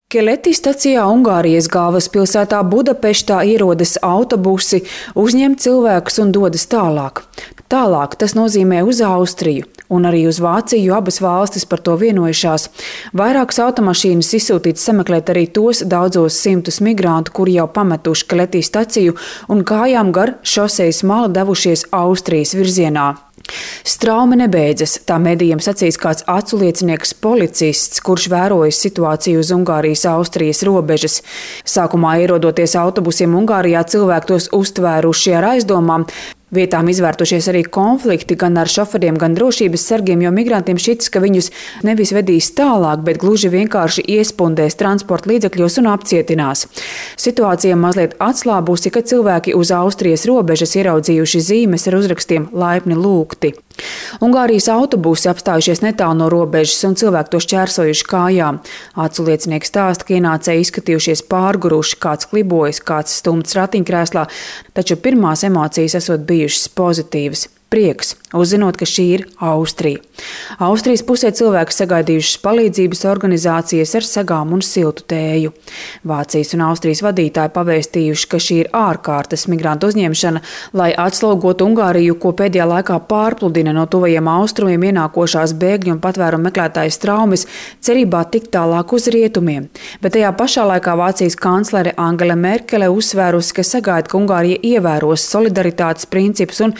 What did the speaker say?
Keleti stacijā Ungārijas galvaspilsētā Budapeštā ierodas autobusi, uzņem cilvēkus un dodas tālāk. Tālāk tas nozīmē uz Austriju un arī uz Vāciju, abas valstis par to vienojušās. Vairākas automašīnas izsūtītas sameklēt arī tos daudzos simtus migrantu, kuri jau pametuši Keleti staciju un kājām gar šosejas malu devušies Austrijas virzienā. Straumi nebeidzas, tā medijiem sacīs kāds aculiecinieks policists, kurš vērojas situāciju uz Ungārijas-Austrijas robežas. Sākumā ierodoties autobusiem Ungārijā, cilvēki tos uztvēruši ar aizdomām. Vietām izvērtušies arī konflikti gan ar šoferiem, gan drošības sargiem, jo migrantiem šķitas, ka viņus nevis vedīs tālāk, bet gluži vienkārši iespundēs transporta līdzekļos un apcietinās. Situācija mazliet atslābusi, kad cilvēki uz Austrijas robežas ieraudzījuši zīmes ar uzrakstiem laipni lūgti. Ungārijas autobusi apstājušies netālu no robežas un cilvēki to šķērsojuši kājām. Aculiecinieks stāsta, ka ienācēji izskatījušies pārguruši, kāds klibojas, kāds stumts ratiņkrēslā, taču pirmās emocijas esot bijušas pozitīvas. Prieks, uzzinot, ka šī ir Austrija. Austrijas pusē cilvēki sagaidījušas palīdzības organizācijas ar sagām un siltu tēju. Vācijas un Austrijas vadītāji pavēstījuši, ka šī ir ārkārtas migrantu uzņemšana, lai atslogotu Ungāriju, ko pēdējā laikā pārpludina no tuvajiem austrumiem ienākošās bēgļu un patvērumu meklētāju traumas, cerībā tikt tālāk uz rietumiem. Bet tajā pašā laikā Vācijas kanclere Angela Merkele uzsvērusi, ka sagaida, ka Ungārija ievēros solidaritātes principus un